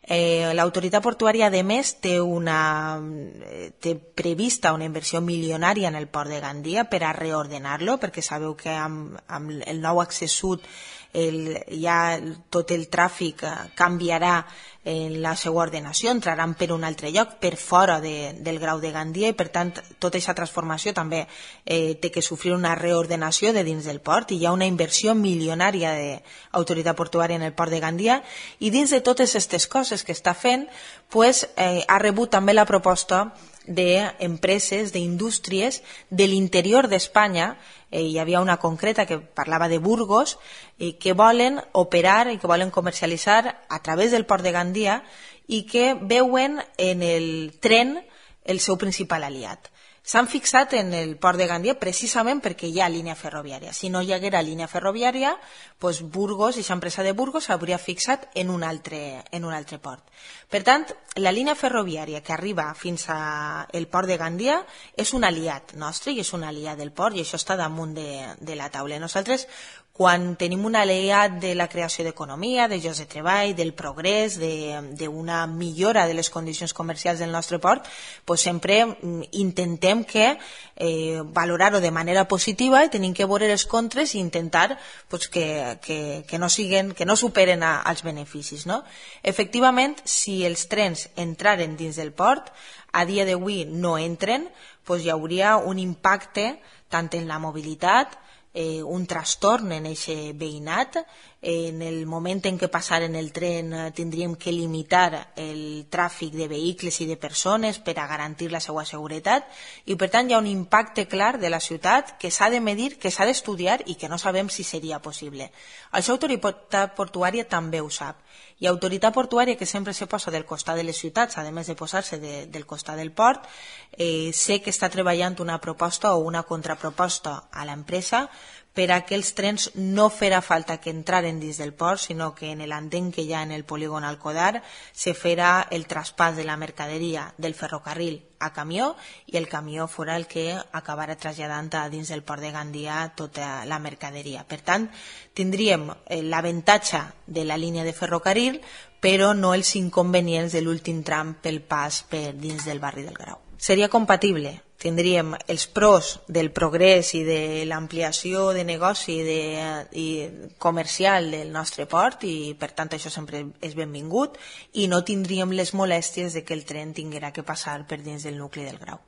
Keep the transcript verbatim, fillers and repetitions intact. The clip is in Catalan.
Eh, L'autoritat portuària, a més, té, una, té prevista una inversió milionària en el port de Gandia per a reordenar-lo, perquè sabeu que amb, amb el nou accés sud el, ja tot el tràfic canviarà en la seva ordenació, entraran per un altre lloc, per fora de, del grau de Gandia, i per tant tota aquesta transformació també eh, té que sofrir una reordenació de dins del port, i hi ha una inversió milionària d'autoritat portuària en el port de Gandia, i dins de totes aquestes coses que està fent, pues, eh, ha rebut també la proposta d'empreses, d'indústries de l'interior d'Espanya. Eh, hi havia una concreta que parlava de Burgos, eh, que volen operar i que volen comercialitzar a través del port de Gandia, i que veuen en el tren el seu principal aliat. S'han fixat en el port de Gandia precisament perquè hi ha línia ferroviària. Si no hi haguera línia ferroviària, doncs Burgos, i l'empresa de Burgos s'hauria fixat en un, altre, en un altre port. Per tant, la línia ferroviària que arriba fins al port de Gandia és un aliat nostre i és un aliat del port, i això està damunt de, de la taula. Nosaltres, quan tenim un aliat de la creació d'economia, de llocs de treball, del progrés, d'una millora de les condicions comercials del nostre port, doncs sempre intentem que eh, valorar-ho de manera positiva, i tenim que veure els contres i intentar pues, que, que, que, no siguen, que no superen a, als beneficis. No? Efectivament, si els trens entraren dins del port, a dia d'avui no entren, doncs hi hauria un impacte tant en la mobilitat, Eh, un trastorn en aquest veïnat. En el moment en què passaren el tren eh, tindríem que limitar el tràfic de vehicles i de persones per a garantir la seva seguretat, i per tant hi ha un impacte clar de la ciutat que s'ha de medir, que s'ha d'estudiar i que no sabem si seria possible. Això autoritat portuària també ho sap, i autoritat portuària, que sempre se posa del costat de les ciutats, a més de posar-se de, del costat del port, eh, sé que està treballant una proposta o una contraproposta a l'empresa per a que els trens no farà falta que entraren dins del port, sinó que en l'andén que hi ha en el polígon Alcodar se farà el traspàs de la mercaderia del ferrocarril a camió, i el camió fora el que acabarà traslladant a dins del port de Gandia tota la mercaderia. Per tant, tindríem l'avantatge de la línia de ferrocarril, però no els inconvenients de l'últim tram pel pas per dins del barri del Grau. Seria compatible. Tindríem els pros del progrés i de l'ampliació de negoci de, i comercial del nostre port, i per tant això sempre és benvingut, i no tindríem les molèsties de que el tren tinguera que passar per dins del nucli del Grau.